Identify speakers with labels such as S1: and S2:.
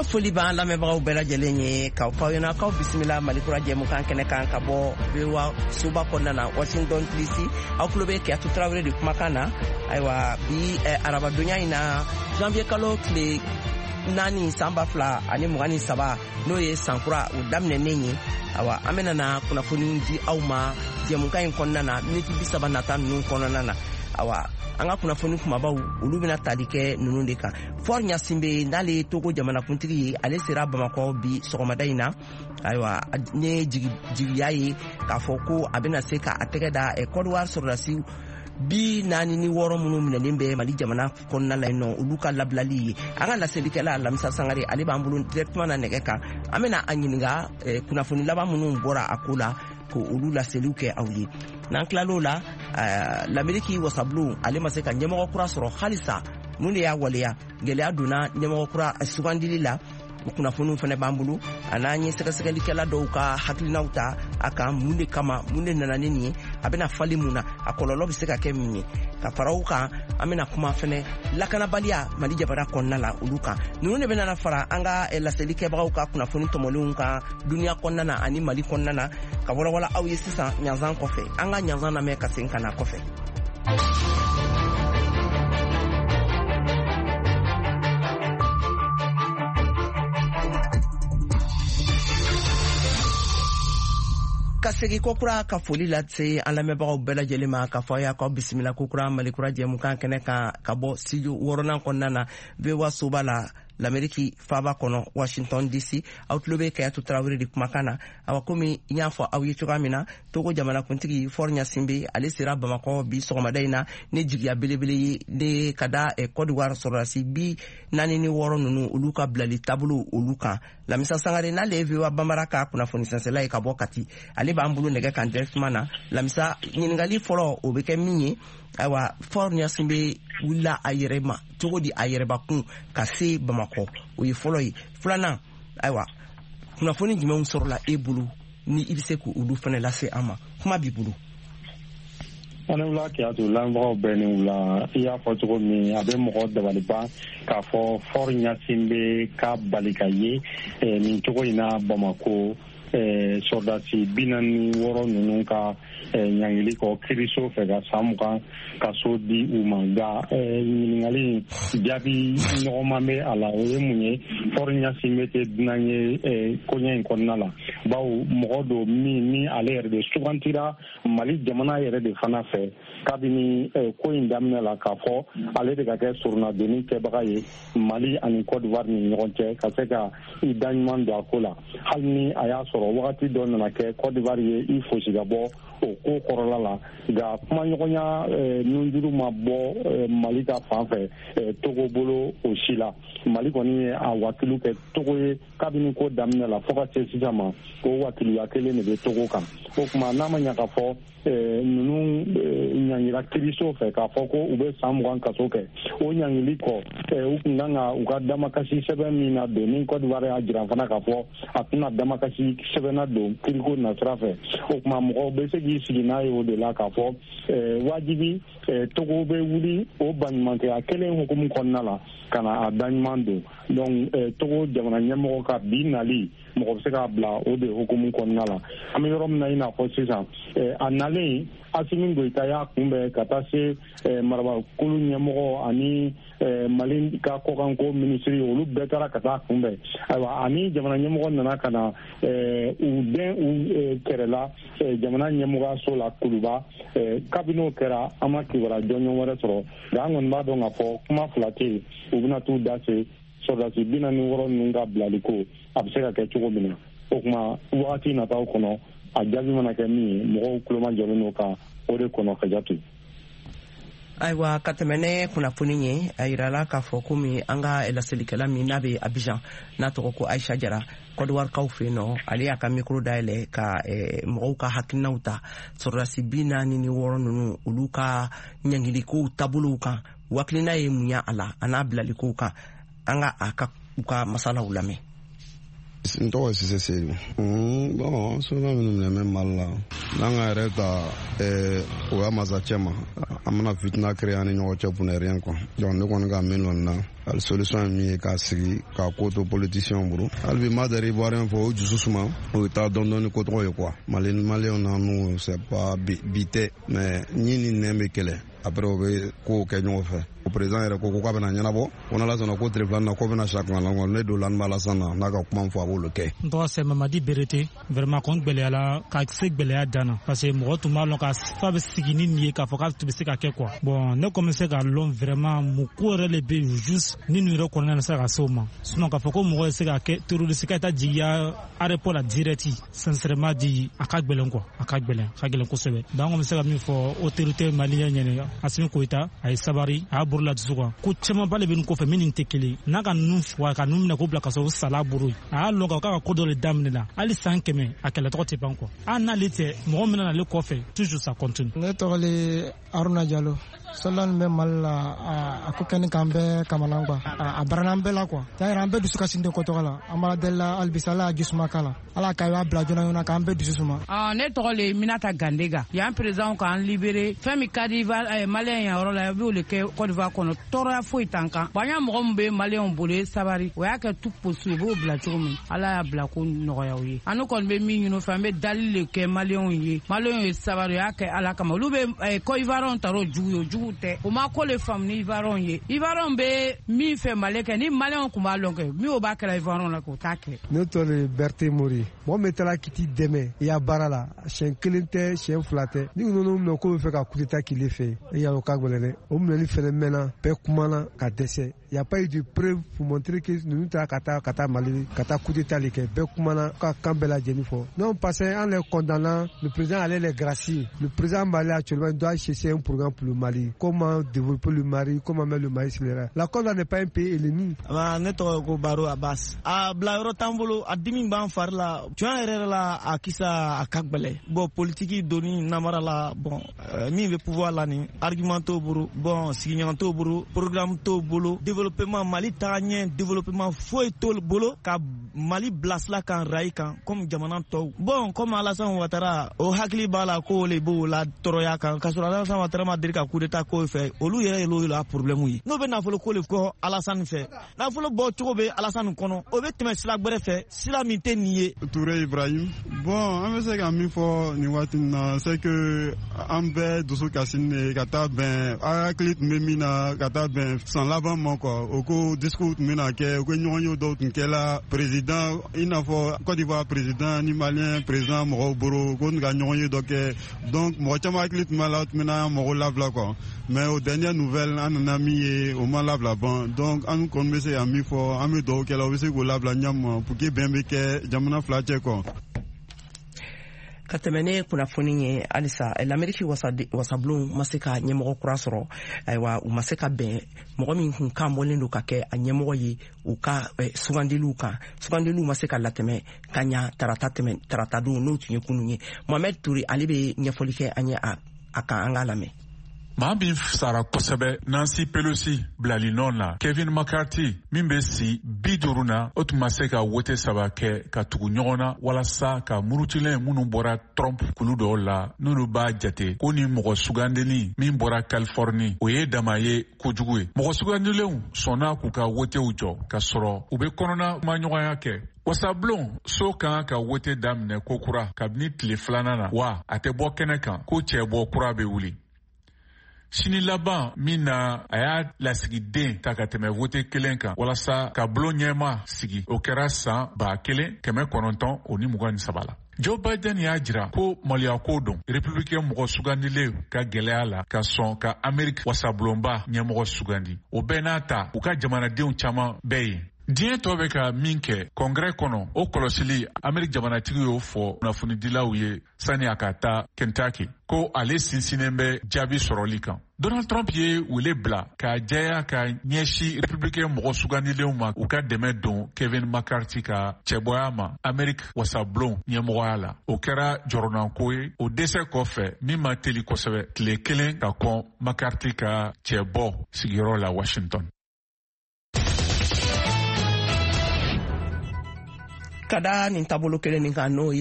S1: Foli b'an lamɛnbagaw bɛɛ lajɛlen ye, k'aw fɔ aw ɲɛna k'aw bisimila Malikura jɛmukan kɛnɛ kan ka bɔ VOA soba kɔnɔna na, Washington DC. Aw tulo bɛ Kiyatu Tarawele de kumakan na. Ayiwa, bi arabadonya in na, janvier kalo tile 4, san 2023, n'o ye sankura o daminɛnen ye. Awa, an bɛna na kunnafoni di aw ma jɛmukan in kɔnɔna na, miniti 30 nata ninnu kɔnɔna na. Awa, an ka kunnafoni kumabaw, olu bɛna tali kɛ ninnu de kan. Faure Gnassingbé, n'ale ye Togo jamanakuntigi ye, ale sera Bamakɔ bi sɔgɔmada in na. Ayiwa, ne jigiya ye k'a fɔ ko a bɛna se ka a tɛgɛ da Côte d'Ivoire sɔrɔdasi 46 minnu minɛlen bɛ Mali jamana kɔnɔna la yen nɔ, olu ka labilali ye. An ka laselikɛla Lamisa Sangare, ale b'an bolo directement na nɛgɛ kan. An bɛna a ɲininka kunnafoni laban minnu bɔra a ko la, ko olu laseliw kɛ aw ye. N'an tilal'o la, Lameriki wasabulon, ale ma se ka ɲɛmɔgɔ kura sɔrɔ halisa. Mun de y'a waleya gɛlɛya donna ɲɛmɔgɔ kura sugandili la? O kunnafoniw fana b'an bolo, a n'an ye sɛgɛsɛgɛlikɛla dɔw ka hakilinaw ta a kan, mun de kama, mun de nana ni nin ye, a bɛna fali mun na, a kɔlɔlɔ bɛ se ka kɛ min ye. Ka fara o kan, an bɛna kuma fɛnɛ lakanabaliya Mali jamana kɔnɔna la, olu kan. Ninnu de bɛna fara an ka laseli kɛbagaw ka kunnafoni tɔmɔlenw kan duniya kɔnɔna na ani Mali kɔnɔna na, ka walawala aw ye sisan ɲanzan kɔfɛ. An ka ɲanzan lamɛn ka segin ka na kɔfɛ. Ka segi kokura ka foli lase an lamɛnbagaw bɛɛ lajɛlen ma, ka fɔ aw y'a k'aw bisimila kokura Malikura jɛmukan kɛnɛ kan ka bɔ studio wɔɔrɔnan kɔnɔna na, VOA soba la, Lameriki faaba kɔnɔ, Washington DC. Aw tulo bɛ Kayatu Tarawele de kumakan na. Awa, komi n y'a fɔ aw ye cogoya min na, Togo jamanakuntigi Faure Gnassingbé, ale sera Bamakɔ bi sɔgɔmada in na ni jigiya belebele ye de ka da Côte d'Ivoire sɔrɔdasi 46 ninnu, olu ka bilali taabolo olu kan. Lamisa Sangare, n'ale ye VOA Bambara ka kunnafoni sɛnsɛla ye ka bɔ Kati, ale b'an bolo nɛgɛ kan directement na. Lamisa, ɲininkali fɔlɔ, o bɛ kɛ min ye, ayiwa, Faure Gnassingbé wulila a yɛrɛ ma cogo di, a yɛrɛbakun ka se Bamakɔ? O ye fɔlɔ ye. Filanan, ayiwa, kunnafoni jumɛnw sɔrɔla e bolo ni i bɛ se k'olu fana lase an ma? Kuma b'i bolo.
S2: An wula Kiyatu, lamɛnbagaw bɛɛ ni wula. I y'a fɔ cogo min, a bɛ mɔgɔ dabali ban k'a fɔ Faure Gnassingbé ka bali ka ye nin cogo in na Bamako, sɔrɔdasi 46 ninnu ka ɲangili kɔ kiriso fɛ ka san 20 kaso di u ma. Nka ɲininkali in jaabi nɔgɔman bɛ a la, o ye mun ye? Faure Gnassingbé tɛ dunan ye koɲɛ in kɔnɔna la, bawo mɔgɔ don min ni ale yɛrɛ de sugantira Mali jamana yɛrɛ de fana fɛ kabini ko in daminɛ la, k'a fɔ ale de ka kɛ soronnadonni kɛbaga ye Mali ani Côte d'Ivoire ni ɲɔgɔn cɛ, ka se ka i da ɲuman don a ko la, hali ni a y'a sɔrɔ wagati dɔ nana kɛ, Côte d'Ivoire ye i fosi ka bɔ o ko kɔrɔla la. Nka kumaɲɔgɔnya nunjuru ma bɔ Mali ka fan fɛ Togo bolo o si la. Mali kɔni ye a wakilu kɛ Togo ye kabini ko daminɛ la fo ka se sisan ma, o wakiluya kelen de bɛ Togo kan. O tuma, n'a ma ɲa k'a fɔ ninnu ɲangira kiriso fɛ k'a fɔ ko u bɛ san 20 kaso kɛ, o ɲangili kɔ, u tun kan ka u ka damakasi sɛbɛn min na don, ni Côte d'Ivoire y'a jira fana k'a fɔ a tɛna damakasi sɛbɛn na don kiriko nasira fɛ, o tuma mɔgɔw bɛ se k'i sigi n'a ye o de la k'a fɔ wajibi Togo bɛ wuli o baɲumankɛya kelen hukumu kɔnɔna la ka na a da ɲuman don. Donc Togo jamana ɲɛmɔgɔ ka bi nali, mɔgɔ bɛ se k'a bila o de hukumu kɔnɔna la. An bɛ yɔrɔ min na i n'a fɔ sisan, a nalen, Assimi Goïta y'a kunbɛn ka taa se marabakulu ɲɛmɔgɔ ani Mali ka kɔkanko minisiri, olu bɛɛ taara ka taa kunbɛn. Ayiwa, ani jamana ɲɛmɔgɔ nana ka na u den u kɛrɛla jamana ɲɛmɔgɔyaso la Kuluba. Kabini o kɛra, an ma kibaruya jɔnjɔn wɛrɛ sɔrɔ. Nka an kɔni b'a dɔn k'a fɔ kuma fila tɛ yen, u bɛna t'u da se sɔrɔdasi 46 ninnu ka bilali ko, a bɛ se ka kɛ cogo min na. O tuma, wagati nataw kɔnɔ, a jaabi mana kɛ min ye, mɔgɔw tuloma jɔlen don ka o de kɔnɔ ka jate.
S1: Ayiwa, ka tɛmɛ ne kunnafoni ye, a yirala k'a fɔ komi an ka laselikɛla min n'a bɛ Abijan, n'a tɔgɔ ko Ayisa Jara, Kɔdiwarikaw fɛ yen nɔ, ale y'a ka micro dayɛlɛ ka mɔgɔw ka hakilinaw ta sɔrɔdasi 46 ninnu, olu ka ɲangilikow taabolow kan. Hakilina ye mun ye a la, a n'a bilalikow kan? An ka a ka u ka masalaw lamɛn.
S3: N tɔgɔ ye Sise Seyidu. Bon, sɔrɔ minnu minɛ bɛ Mali la, n'an ka yɛrɛ ta o y'a masacɛ ma, an bɛna fitina créer an ni ɲɔgɔn cɛ pour ne rien quoi. Donc ne kɔni ka min lɔn na, hali solution ye min ye, k'a sigi k'a ko to politicien bolo. Hali bi ma dari Ivoirien fɔ, o dusu suma, o ye taa dɔɔni dɔɔni ko tɔgɔ ye quoi. Mali Maliyɛnw na n'u, c'est pas bi tɛ, mais ɲi ni nɛn bɛ kɛlɛ, après o bɛ kow kɛ ɲɔgɔn fɛ. O président yɛrɛ ko k'a bɛna ɲɛnabɔ ko n'Ala sɔnna, ko tile filanan na ko bɛna sa kuma la. Ne don la b'a la sisan na, n'a ka kuma fɔ, a b'olu kɛ.
S4: N tɔgɔ c'est Mamadi Berete. Vraiment, kɔni gwɛlɛyala ka se gwɛlɛya dan na, parce que mɔgɔ tun b'a lɔn ka fa bɛ sigi ni nin ye k'a fɔ k'a tun bɛ se ka kɛ quoi. Bon, ne kɔni bɛ se k'a lɔn vraiment mun ko yɛrɛ le bɛ yen juste ni nin yɛrɛ kɔnɔna na se ka se o ma. Sinon, k'a fɔ ko mɔgɔ ye se ka kɛ terroriste ka taa jigiya aéroport la direct, sincèrement dit, a ka gwɛlɛn quoi, a ka gwɛlɛn, a ka gwɛlɛn kosɛbɛ. Donc an bɛ se ka min fɔ autorité malienne ɲɛnɛ, Asimi Goïta, a ye sabari, a y'a bolo la dusu kan. Ko camanba le bɛ nin kɔfɛ min nin tɛ kelen n'a ka ninnu wa ka ninnu minɛ k'o bila ka sɔrɔ o sala bolo. A y'a lɔn k'a ka ko dɔ le daminɛ la, hali san 100 a kɛlɛ tɔgɔ tɛ ban quoi. Hali n'ale tɛ, mɔgɔ min nana ale kɔfɛ, toujours ça continue.
S5: Ne tɔgɔ le Haruna Jalo. Soldat bɛ Mali la, a ko kɛni k'an bɛɛ kamana quoi, a barana an bɛɛ la quoi. Y'a yira an bɛɛ dusu kasi den ko tɔgɔ la. An b'a deli la halisa, Ala y'a jisuma k'a la, Ala k'a y'a bila joona joona k'an bɛɛ dusu suma.
S6: Ne tɔgɔ le Minata Gandega. Yan président k'an libéré, fɛn min ka di Maliyɛn yan yɔrɔ la, i b'o le kɛ Côte d'Ivoire kɔnɔ. Tɔɔrɔya foyi t'an kan. Bon, an y'a mɔgɔ min bɛ Maliyɛnw bolo ye sabari, o y'a kɛ tout possible, u b'o bila cogo min, Ala y'a bila ko nɔgɔya u ye. An kɔni bɛ min ɲini u fɛ, an bɛ dali le kɛ Maliyɛnw ye. Maliyɛnw ye sabari, o y'a kɛ Ala kama. Olu bɛ ko Ivoiriyɛnw ta o jugu ye, o jugu tɛ. O ma ko le faamu ni Ivoiriyɛnw ye. Ivoiriyɛnw bɛ min fɛ Mali kɛ, ni Maliyɛnw tun b'a lɔn kɛ min, o b'a kɛra Ivoiriyɛnw la, k'o t'a kɛ.
S7: Ne tɔgɔ ye Berthe Mori. Mɔgɔ min taara k'i t'i dɛmɛ i ya baara la, siɲɛ kelen tɛ, siɲɛ fila tɛ, ni ninnu minɛ k'o bɛ fɛ ka coup d'état k'ile fɛ, e y'a dɔn k'a gɛlɛn dɛ. O minɛli fɛnɛ mɛnna, bɛɛ kumana ka dɛsɛ. Il n'y a pas eu de preuve pour montrer que ninnu taara ka taa Mali ka taa coup d'état le kɛ. Bɛɛ kumana ka kan bɛɛ lajɛlen fɔ. Non, parce que an les condamnant, le président allait les gracier. Le président malien actuellement doit chercher un programme pour le Mali, comment développer le Mali, comment mettre le Mali sur les rails. La Côte d'Ivoire n'est pas un pays ennemi.
S8: Ne tɔgɔ ko Baro Abbas. A bila yɔrɔ t'an bolo, a dimi b'an fari la tiɲɛ yɛrɛ yɛrɛ la, a kisa a ka gwɛlɛ. Bon, politiki doni namara la. Bon, min bɛ pouvoir la, nin argument t'o bolo, bon, sigiɲɔgɔn t'o bolo, programme t'o bolo, développement Mali taga ɲɛ, développement foyi t'o bolo ka Mali bilasira kan rail kan comme jamana tɔw. Bon, comme Alassane Ouattara, o hakili b'a la k'o le b'o la tɔɔrɔya kan, k'a sɔrɔ Alassane Ouattara ma deli ka coup d'état k'o fɛ. Olu yɛrɛ y'olu la problème ye. N'o bɛ nafolo ko le kɔ Alassane fɛ, nafolo bɔ cogo bɛ Alassane kɔnɔ, o bɛ tɛmɛ sira gwɛrɛ fɛ, sira min tɛ nin ye.
S9: Touré Ibrahim. Bon, an bɛ se ka min fɔ nin waati in na, c'est que an bɛɛ dusu kasi ne ka taa bɛn an hakili tun bɛ min na ka taa bɛn san laban ma quoi. O ko discours tun bɛna kɛ, o ko ɲɔgɔn ye dɔw tun kɛla président, i n'a fɔ Côte d'Ivoire président ni Malien président mɔgɔw bolo ko ka ɲɔgɔn ye dɔ kɛ. Donc mɔgɔ caman hakili tun b'a la, tun bɛna mɔgɔw labila quoi. Mais aux dernières nouvelles, an nana min ye, o ma labila ban. Donc an kɔni bɛ se ka min fɔ, an bɛ dugawu kɛ la, o bɛ se k'o labila ɲɛ pour que bɛn bɛ kɛ jamana fila cɛ quoi.
S1: Ka tɛmɛ ne kunnafoni ye halisa, Lameriki wasabulon ma se ka ɲɛmɔgɔ kura sɔrɔ. Ayiwa, u ma se ka bɛn mɔgɔ min kun kan bɔlen don ka kɛ a ɲɛmɔgɔ ye u ka sugandiliw kan. Sugandiliw ma se ka latɛmɛ ka ɲa tarata tɛmɛ, tarata don, n'o tun ye kunun ye. Mohamɛd Ture, ale bɛ ɲɛfɔli kɛ an ye a kan, an k'a lamɛn.
S10: Maa min sara kosɛbɛ Nancy Pelosi bilali nɔ na, Kevin McCarthy min bɛ si 50 na, o tun ma se ka wote saba kɛ ka tugu ɲɔgɔn na walasa ka murutilen minnu bɔra Trump kulu dɔw la, n'olu b'a jate ko ni mɔgɔ sugandeli min bɔra Californie, o ye dama ye kojugu ye. Mɔgɔ sugandilenw sɔnna k'u ka wotew jɔ ka sɔrɔ u bɛ kɔnɔna kumaɲɔgɔnya kɛ. Wasabulon so kan ka wote daminɛ kokura kabini tile filanan na, wa a tɛ bɔ kɛnɛ kan ko cɛbɔ kura bɛ wuli sini laban min na. A y'a lasigiden ta ka tɛmɛ wote kelen kan walasa ka bulon ɲɛma sigi, o kɛra san 1923 la. Joe Biden y'a jira ko maloyako don républicain mɔgɔ sugandilen ka gwɛlɛya la ka sɔn ka Ameriki wasabulonba ɲɛmɔgɔ sugandi. O bɛɛ n'a ta, u ka jamanadenw caman bɛ yen. Diɲɛ tɔ bɛ ka min kɛ kɔngrɛ kɔnɔ, o kɔlɔsili, Ameriki jamanatigi y'o fɔ kunnafonidilaw ye sani a ka taa Kentucky ko ale sinsinnen bɛ jaabi sɔrɔli kan. Donald Trump ye wele bila k'a jɛya ka ɲɛsi républicain mɔgɔ sugandilenw ma, u ka dɛmɛ don Kevin McCarthy ka cɛbɔya ma Ameriki wasabulon ɲɛmɔgɔya la. O kɛra jɔrɔnanko ye o dɛsɛ kɔfɛ min ma teli kosɛbɛ, tile kelen ka kɔn McCarthy ka cɛbɔ sigiyɔrɔ la Washington.
S1: Ka da nin taabolo kelen nin kan, n'o ye